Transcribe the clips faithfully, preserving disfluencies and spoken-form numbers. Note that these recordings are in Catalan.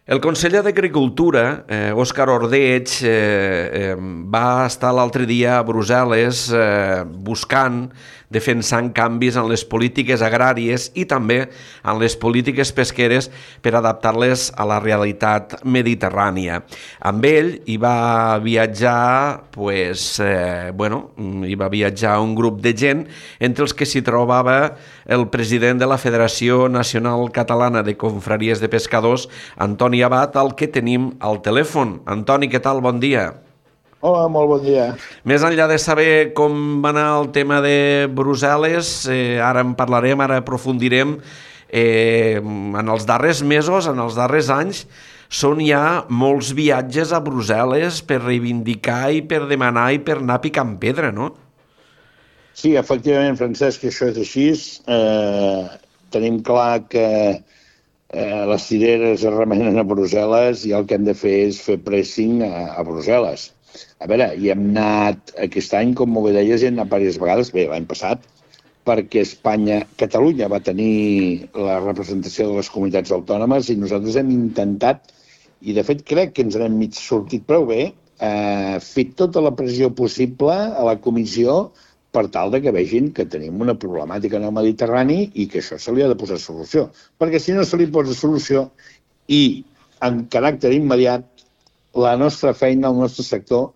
El conseller d'Agricultura, eh, Òscar Ordeig, eh, eh, va estar l'altre dia a Brussel·les eh, buscant, defensant canvis en les polítiques agràries i també en les polítiques pesqueres per adaptar-les a la realitat mediterrània. Amb ell hi va viatjar, pues, eh, bueno, hi va viatjar un grup de gent, entre els que s'hi trobava el president de la Federació Nacional Catalana de Confraries de Pescadors, Antoni Abad, al que tenim al telèfon. Antoni, què tal? Bon dia. Hola, molt bon dia. Més enllà de saber com va anar el tema de Brussel·les, eh, ara en parlarem, ara aprofundirem, eh, en els darrers mesos, en els darrers anys, són ja molts viatges a Brussel·les per reivindicar i per demanar i per anar picant pedra, no? Sí, efectivament, Francesc, això és així. Eh, tenim clar que eh, les cireres es remenen a Brussel·les i el que hem de fer és fer pressing a, a Brussel·les. A veure, hi hem anat aquest any, com molt bé deies, hi hem anat diverses vegades, bé, l'any passat, perquè Espanya, Catalunya va tenir la representació de les comunitats autònomes i nosaltres hem intentat, i de fet crec que ens n'hem mig sortit prou bé, eh, fer tota la pressió possible a la comissió per tal de que vegin que tenim una problemàtica en el Mediterrani i que això se li ha de posar solució. Perquè si no se li posa solució i en caràcter immediat, la nostra feina, el nostre sector,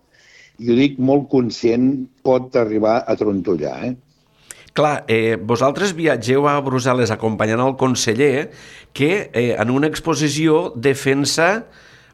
i ho dic molt conscient, pot arribar a trontollar. Eh? Clar, eh, vosaltres viatgeu a Brussel·les acompanyant el conseller que eh, en una exposició defensa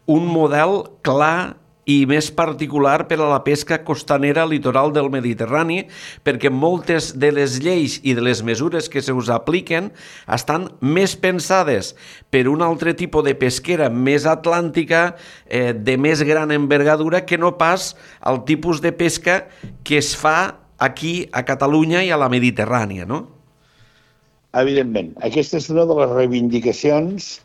un model clar i més particular per a la pesca costanera litoral del Mediterrani, perquè moltes de les lleis i de les mesures que se us apliquen estan més pensades per un altre tipus de pesquera més atlàntica, eh, de més gran envergadura, que no pas el tipus de pesca que es fa aquí a Catalunya i a la Mediterrània, no? Evidentment. Aquesta és una de les reivindicacions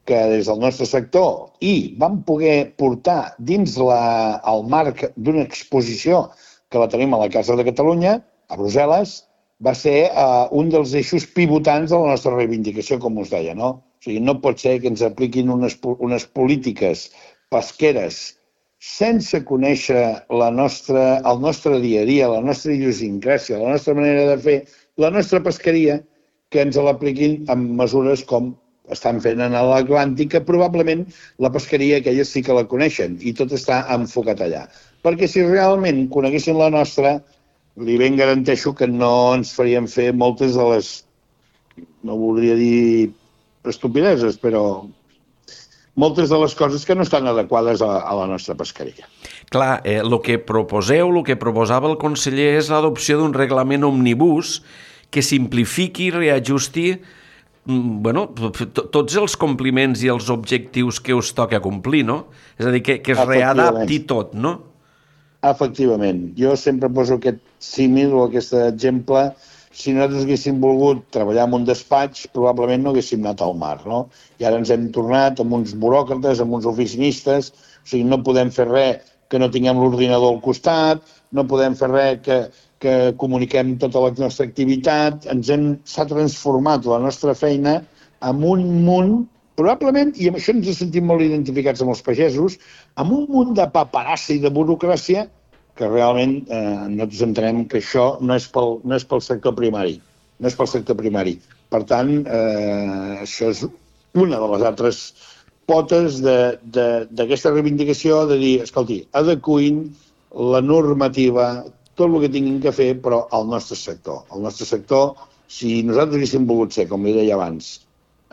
que des del nostre sector i vam poder portar dins la, el marc d'una exposició que la tenim a la Casa de Catalunya, a Brussel·les, va ser uh, un dels eixos pivotants de la nostra reivindicació, com us deia, no? O sigui, no pot ser que ens apliquin unes, unes polítiques pesqueres sense conèixer la nostra, el nostre dia a dia, la nostra idiosincràsia, la nostra manera de fer, la nostra pesqueria, que ens l'apliquin amb mesures com estan fent en l'Atlàntic, que probablement la pesqueria aquella sí que la coneixen i tot està enfocat allà. Perquè si realment coneguessin la nostra, li ben garanteixo que no ens farien fer moltes de les, no voldria dir estupideses, però moltes de les coses que no estan adequades a, a la nostra pesqueria. Clar, el eh, que proposeu, el que proposava el conseller és l'adopció d'un reglament omnibus que simplifiqui i reajusti bueno, tots els compliments i els objectius que us toca complir, no? És a dir, que, que es readapti tot, no? Efectivament. Jo sempre poso aquest símil o aquest exemple. Si nosaltres haguéssim volgut treballar en un despatx, probablement no haguéssim anat al mar, no? I ara ens hem tornat amb uns buròcrates, amb uns oficinistes, o sigui, no podem fer res que no tinguem l'ordinador al costat, no podem fer res que... que comuniquem tota la nostra activitat, ens hem, s'ha transformat la nostra feina en un munt, probablement, i amb això ens sentim molt identificats amb els pagesos, amb un munt de paperassa i de burocràcia que realment eh, nosaltres entenem que això no és, pel, no és pel sector primari. No és pel sector primari. Per tant, eh, això és una de les altres potes d'aquesta reivindicació de dir, escolti, adequin la normativa, tot el que tinguin que fer, però al nostre sector. El nostre sector, si nosaltres haguéssim volgut ser, com li deia abans,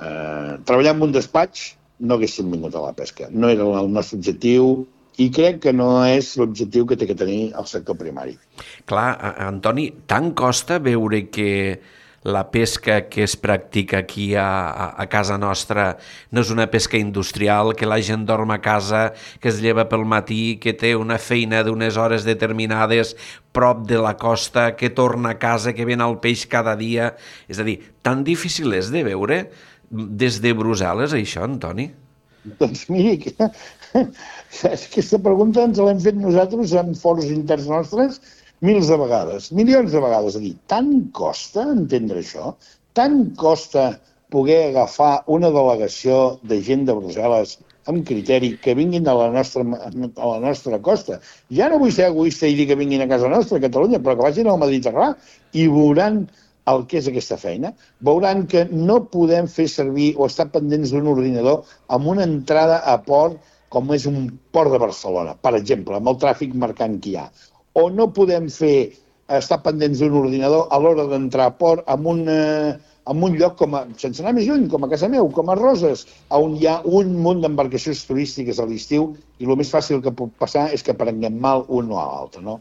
eh, treballar en un despatx, no haguéssim vingut a la pesca. No era el nostre objectiu i crec que no és l'objectiu que té que tenir el sector primari. Clar, Antoni, tant costa veure que la pesca que es practica aquí a, a, a casa nostra no és una pesca industrial, que la gent dorm a casa, que es lleva pel matí, que té una feina d'unes hores determinades prop de la costa, que torna a casa, que ven el peix cada dia. És a dir, tan difícil és de veure des de Brussel·les, això, Antoni? Doncs miri, que, aquesta pregunta ens l'hem fet nosaltres en fòrums interns nostres mils de vegades, milions de vegades. A dir, tant costa entendre això? Tant costa poder agafar una delegació de gent de Brussel·les amb criteri que vinguin a la nostra, a la nostra costa. Ja no vull ser egoista i dir que vinguin a casa nostra, a Catalunya, però que vagin al Mediterrani i veuran el que és aquesta feina. Veuran que no podem fer servir o estar pendents d'un ordinador amb una entrada a port com és un port de Barcelona, per exemple, amb el tràfic mercant que hi ha. O no podem fer estar pendents d'un ordinador a l'hora d'entrar a port amb un, eh, amb un lloc, com a, sense anar més lluny, com a casa meu, com a Roses, on hi ha un munt d'embarcacions turístiques a l'estiu i el més fàcil que pot passar és que prenguem mal un o a l'altre. No?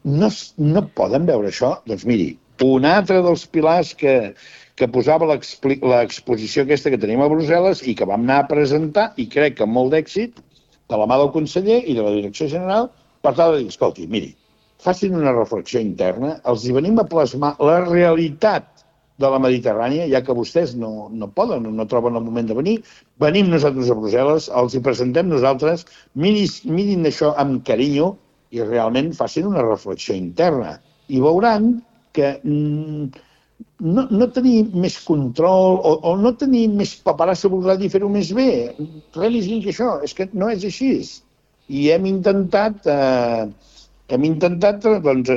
No, no poden veure això? Doncs miri, un altre dels pilars que, que posava l'exposició aquesta que tenim a Brussel·les i que vam anar a presentar, i crec que amb molt d'èxit, de la mà del conseller i de la direcció general, per tal de dir, escolti, miri, facin una reflexió interna, els hi venim a plasmar la realitat de la Mediterrània, ja que vostès no, no poden, no troben el moment de venir, venim nosaltres a Brussel·les, els hi presentem nosaltres, mirin, mirin això amb carinyo i realment facin una reflexió interna. I veuran que mm, no, no tenir més control o, o no tenir més paperassa voldrà dir fer-ho més bé. Res més lluny que això, és que no és així. I hem intentat... Eh, Hem intentat doncs,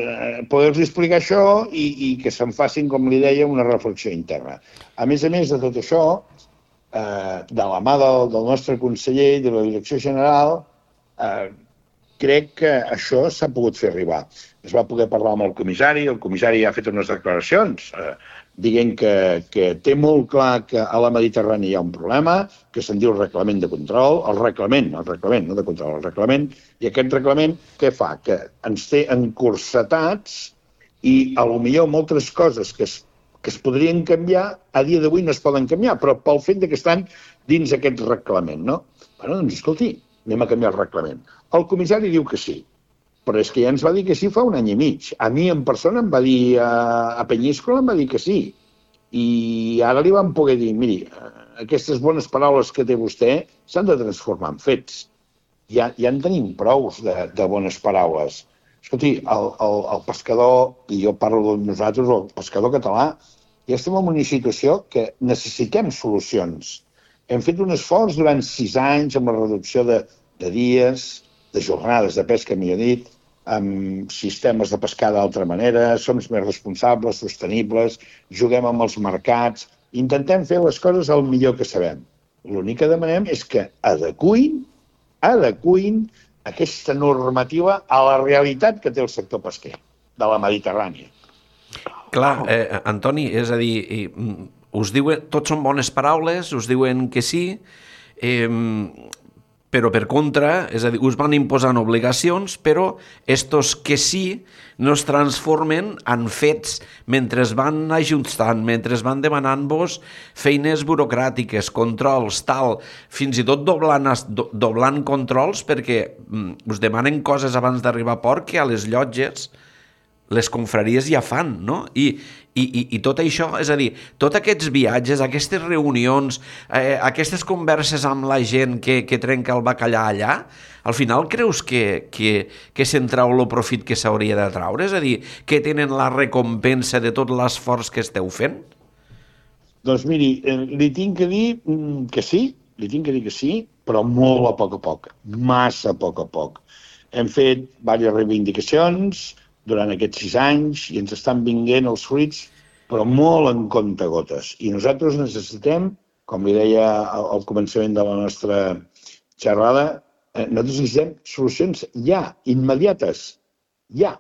poder-los explicar això i, i que se'n facin, com li deia, una reflexió interna. A més a més de tot això, eh, de la mà del, del nostre conseller i de la direcció general, eh, crec que això s'ha pogut fer arribar. Es va poder parlar amb el comissari, el comissari ha fet unes declaracions eh, dient que, que té molt clar que a la Mediterrània hi ha un problema, que se'n diu reglament de control, el reglament, el reglament, no de control, el reglament, i aquest reglament què fa? Que ens té encursetats i potser moltes coses que es, que es podrien canviar a dia d'avui no es poden canviar, però pel fet que estan dins aquest reglament, no? Bueno, doncs escolti, anem a canviar el reglament. El comissari diu que sí, però és que ja ens va dir que sí fa un any i mig. A mi en persona em va dir, a Penyíscola em va dir que sí. I ara li vam poder dir, miri, aquestes bones paraules que té vostè s'han de transformar en fets. Ja, ja en tenim prous de, de bones paraules. Escolti, el, el, el pescador, i jo parlo de nosaltres, el pescador català, ja estem en una situació que necessitem solucions. Hem fet un esforç durant sis anys amb la reducció de, de dies, de jornades de pesca, millor dit, amb sistemes de pescar d'altra manera, som més responsables, sostenibles, juguem amb els mercats, intentem fer les coses el millor que sabem. L'únic que demanem és que adequin, adequin aquesta normativa a la realitat que té el sector pesquer de la Mediterrània. Clar, eh, Antoni, és a dir, us diuen, tots són bones paraules, us diuen que sí, eh, però per contra, és a dir, us van imposant obligacions, però estos que sí no es transformen en fets mentre es van ajustant, mentre es van demanant-vos feines burocràtiques, controls, tal, fins i tot doblant, do, doblant controls perquè mm, us demanen coses abans d'arribar a port que a les llotges les confraries ja fan, no? I, i, i, i tot això, és a dir, tots aquests viatges, aquestes reunions, eh, aquestes converses amb la gent que, que trenca el bacallà allà, al final creus que, que, que se'n trau el profit que s'hauria de traure? És a dir, que tenen la recompensa de tot l'esforç que esteu fent? Doncs miri, li tinc que dir que sí, li tinc que dir que sí, però molt a poc a poc, massa a poc a poc. Hem fet diverses reivindicacions durant aquests sis anys i ens estan vinguent els fruits, però molt en comptagotes. I nosaltres necessitem, com li deia al començament de la nostra xerrada, eh, nosaltres necessitem solucions ja, immediates, ja.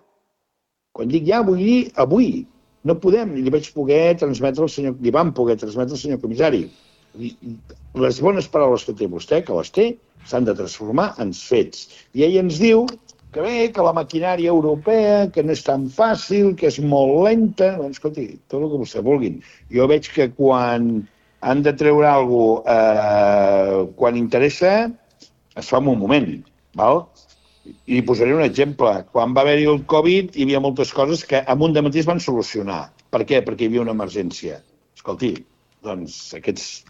Quan dic ja, vull dir avui. No podem, li vaig poder transmetre al senyor, li vam poder transmetre al senyor comissari. Les bones paraules que té vostè, que les té, s'han de transformar en fets. I ell ens diu que bé, que la maquinària europea, que no és tan fàcil, que és molt lenta. Doncs, escolti, tot el que vostè vulguin. Jo veig que quan han de treure alguna cosa, eh, quan interessa, es fa en un moment, val? I li posaré un exemple. Quan va haver-hi el Covid, hi havia moltes coses que en un dematí es van solucionar. Per què? Perquè hi havia una emergència. Escolti, doncs aquests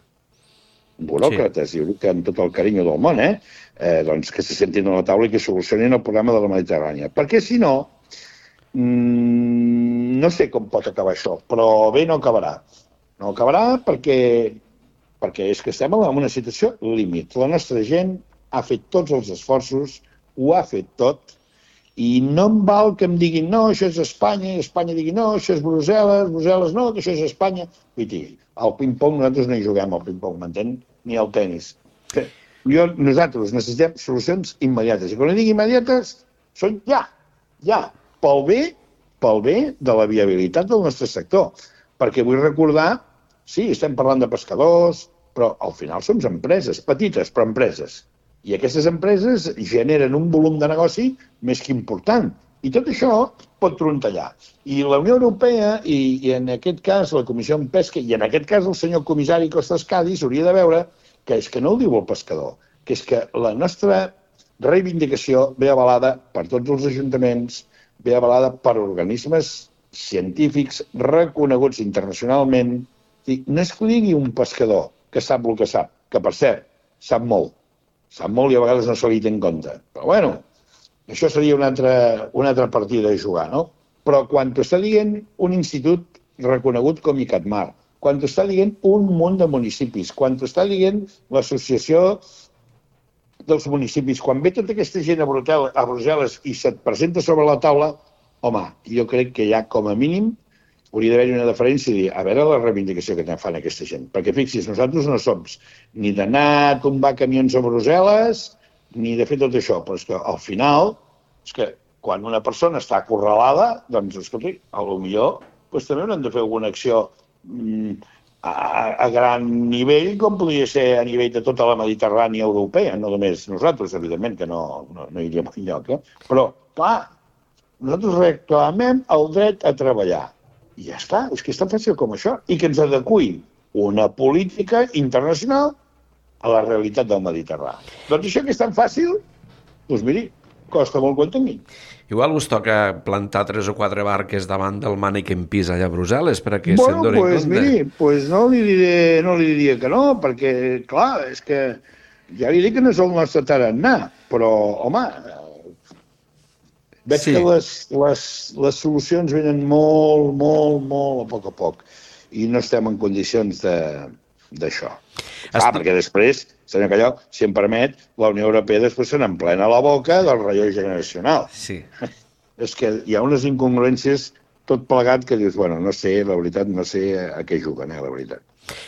buròcrates, sí. I ho dic amb tot el carinyo del món, eh? Eh, doncs que se sentin a la taula i que solucionin el problema de la Mediterrània. Perquè si no, mmm, no sé com pot acabar això, però bé no acabarà. No acabarà perquè, perquè és que estem en una situació límit. La nostra gent ha fet tots els esforços, ho ha fet tot, i no em val que em diguin no, això és Espanya, i Espanya digui no, això és Brussel·les, Brussel·les no, que això és Espanya. Vull dir, al ping-pong nosaltres no hi juguem al ping-pong, m'entén? Ni al tennis. Jo, nosaltres necessitem solucions immediates. I quan dic immediates, són ja, ja, pel bé, pel bé de la viabilitat del nostre sector. Perquè vull recordar, sí, estem parlant de pescadors, però al final som empreses, petites, però empreses. I aquestes empreses generen un volum de negoci més que important. I tot això pot trontallar. I la Unió Europea, i, i en aquest cas la Comissió en Pesca, i en aquest cas el senyor comissari Costas Cadis, hauria de veure que és que no ho diu el pescador, que és que la nostra reivindicació ve avalada per tots els ajuntaments, ve avalada per organismes científics reconeguts internacionalment. No és que ho digui un pescador que sap el que sap, que per cert, sap molt, sap molt i a vegades no se li té en compte. Però bueno, això seria una altra, una altra partida a jugar, no? Però quan t'ho està dient un institut reconegut com ICATMAR, quan t'ho està dient un munt de municipis, quan t'ho està dient l'associació dels municipis, quan ve tota aquesta gent a Brussel·les i se't presenta sobre la taula, home, jo crec que ja com a mínim hauria d'haver-hi una diferència i dir, a veure la reivindicació que fan aquesta gent. Perquè fixis, nosaltres no som ni d'anar a tombar camions a Brussel·les, ni de fer tot això, però és que al final, és que quan una persona està acorralada, doncs, escolti, a lo millor doncs, també haurem de fer alguna acció mm, a, a gran nivell, com podria ser a nivell de tota la Mediterrània europea, no només nosaltres, evidentment, que no, no, no iríem enlloc, eh? Però, clar, nosaltres reclamem el dret a treballar. I ja està, és que és tan fàcil com això. I que ens adeqüi una política internacional a la realitat del Mediterrani. Doncs això que és tan fàcil, doncs miri, costa molt que ho entenguin. Igual us toca plantar tres o quatre barques davant del Manneken Pis allà a Brussel·les perquè bueno, se'n donin pues, compte. Miri, pues no li, diré, no li diria que no, perquè, clar, és que ja li dic que no és el nostre tarannà, però, home, veig sí. que les, les, les solucions venen molt, molt, molt a poc a poc i no estem en condicions d'això. Ah, Estic... perquè després, senyor Calló, si em permet, la Unió Europea després se n'emplena la boca del relleu generacional. Sí. És que hi ha unes incongruències tot plegat que dius, bueno, no sé, la veritat, no sé a què juguen, eh, la veritat.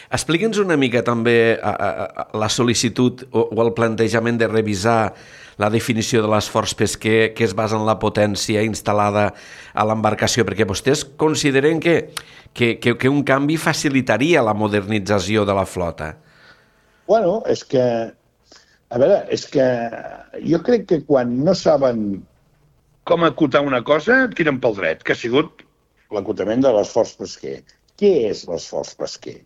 Explica'ns una mica també a, a, a la sol·licitud o, o el plantejament de revisar la definició de l'esforç pesquer que es basa en la potència instal·lada a l'embarcació, perquè vostès consideren que, que, que, que un canvi facilitaria la modernització de la flota. Bueno, és que, a veure, és que jo crec que quan no saben com acotar una cosa, tiren pel dret, que ha sigut l'acotament de l'esforç pesquer. Què és l'esforç pesquer?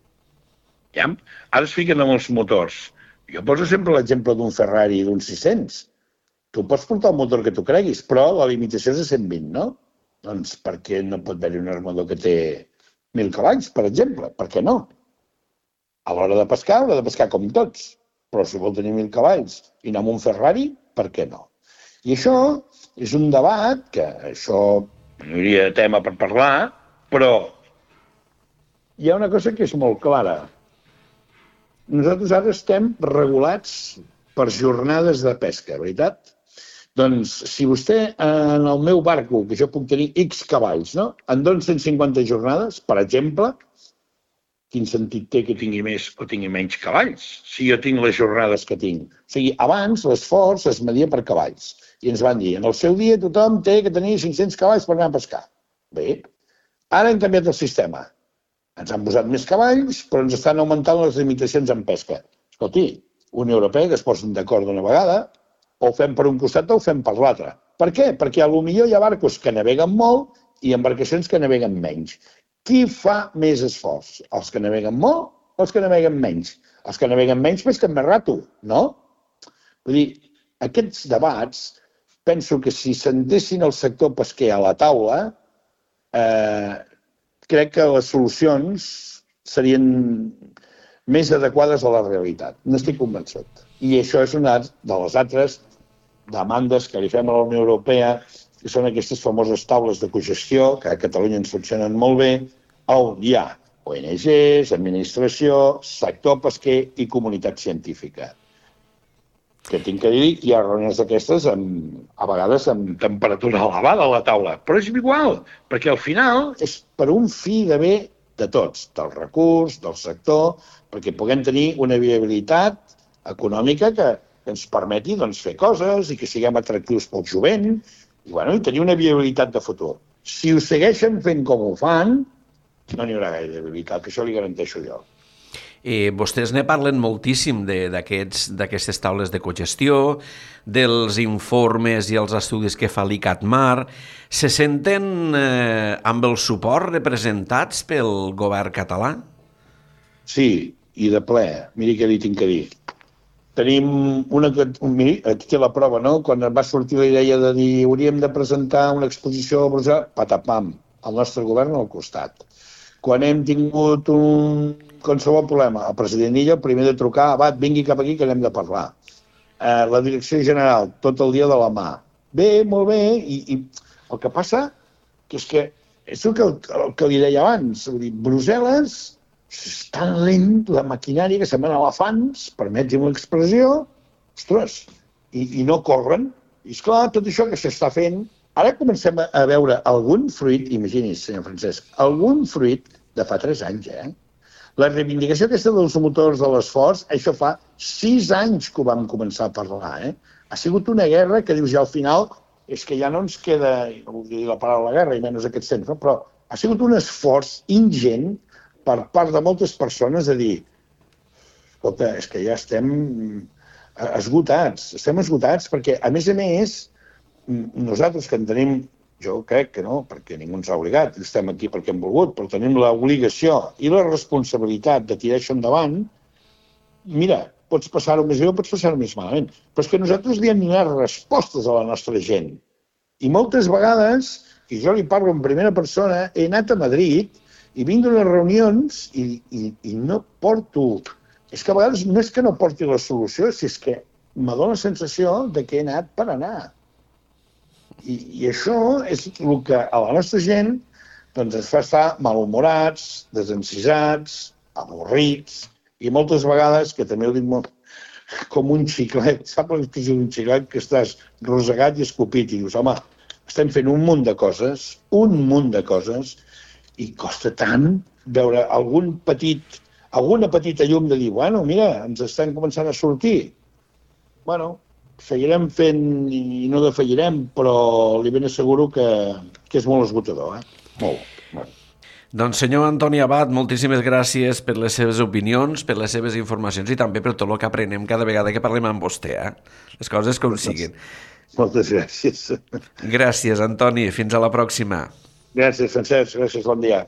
Ja? Ara es fiquen amb els motors. Jo poso sempre l'exemple d'un Ferrari i d'un sis-cents. Tu pots portar el motor que tu creguis, però la limitació és de cent vint, no? Doncs per què no pot haver-hi un armador que té mil cavalls, per exemple? Per què no? A l'hora de pescar, haurà de pescar com tots. Però si vol tenir mil cavalls i anar amb un Ferrari, per què no? I això és un debat que això no hi hauria de tema per parlar, però hi ha una cosa que és molt clara. Nosaltres ara estem regulats per jornades de pesca, veritat? Doncs si vostè en el meu barco, que jo puc tenir X cavalls, no? Em dona cent cinquanta jornades, per exemple, quin sentit té que tingui més o tingui menys cavalls, si jo tinc les jornades que tinc? O sigui, abans l'esforç es media per cavalls. I ens van dir, en el seu dia tothom té que tenir cinc-cents cavalls per anar a pescar. Bé, ara hem canviat el sistema. Ens han posat més cavalls, però ens estan augmentant les limitacions en pesca. Escolti, Unió Europea, que es posen d'acord d'una vegada, o ho fem per un costat o ho fem per l'altre. Per què? Perquè potser hi ha barcos que naveguen molt i embarcacions que naveguen menys. Qui fa més esforç? Els que naveguen molt o els que naveguen menys? Els que naveguen menys pesquen més rato, no? Vull dir, aquests debats, penso que si sentessin el sector pesquer a la taula, eh, crec que les solucions serien més adequades a la realitat. N'estic convençut. I això és una de les altres demandes que li fem a la Unió Europea, que són aquestes famoses taules de cogestió, que a Catalunya ens funcionen molt bé, on hi ha O N Ges, administració, sector pesquer i comunitat científica. Que tinc que dir, hi ha reunions d'aquestes amb, a vegades amb temperatura elevada a la taula, però és igual, perquè al final és per un fi de bé de tots, del recurs, del sector, perquè puguem tenir una viabilitat econòmica que, que ens permeti doncs, fer coses i que siguem atractius pel jovent i, bueno, i tenir una viabilitat de futur. Si ho segueixen fent com ho fan, no n'hi haurà gaire viabilitat, que això li garanteixo jo. Eh, vostès ne parlen moltíssim d'aquestes taules de cogestió, dels informes i els estudis que fa l'I C A T Mar. Se senten eh, amb el suport representats pel govern català? Sí, i de ple. Miri què li tinc que dir. Tenim una... Miri, aquí té la prova, no? Quan va sortir la idea de dir hauríem de presentar una exposició a Brussel·les, patapam, el nostre govern al costat. Quan hem tingut un qualsevol problema, el president Illa, el primer de trucar, va, vingui cap aquí que anem de parlar. Eh, la direcció general, tot el dia de la mà. Bé, molt bé, i, i el que passa que és que és el que, el que li deia abans, dir, Brussel·les és tan lent, la maquinària que semblen elefants, permeti'm l'expressió, ostres, i, i no corren. I esclar, tot això que s'està fent, ara comencem a veure algun fruit, imagini's, senyor Francesc, algun fruit de fa tres anys, eh? La reivindicació aquesta dels motors de l'esforç, això fa sis anys que ho vam començar a parlar, eh? Ha sigut una guerra que dius ja al final, és que ja no ens queda, no vull dir la paraula guerra, i menys aquest temps, no? Però ha sigut un esforç ingent per part de moltes persones de dir, escolta, és que ja estem esgotats, estem esgotats perquè, a més a més, nosaltres que en tenim, jo crec que no, perquè ningú ens ha obligat, estem aquí perquè hem volgut, però tenim l'obligació i la responsabilitat de tirar això endavant, mira, pots passar-ho més bé o pots passar-ho més malament, però és que nosaltres li hem donat respostes a la nostra gent. I moltes vegades, i jo li parlo en primera persona, he anat a Madrid i vinc d'unes reunions i, i, i no porto... És que a vegades no és que no porti la solució, si és que me dóna la sensació de que he anat per anar. I, i això és el que a la nostra gent doncs, ens fa estar malhumorats, desencisats, avorrits, i moltes vegades, que també ho dic molt, com un xiclet, saps l'expressió d'un xiclet que estàs rosegat i escopit, i dius, home, estem fent un munt de coses, un munt de coses, i costa tant veure algun petit, alguna petita llum de dir, bueno, mira, ens estem començant a sortir. Bueno, seguirem fent i no defallirem, però li ben asseguro que, que és molt esgotador, eh? Molt, molt. Doncs senyor Antoni Abad, moltíssimes gràcies per les seves opinions, per les seves informacions i també per tot el que aprenem cada vegada que parlem amb vostè, eh? Les coses com siguin. Moltes gràcies. Gràcies, Antoni. Fins a la pròxima. Gràcies, Francesc. Gràcies, bon dia.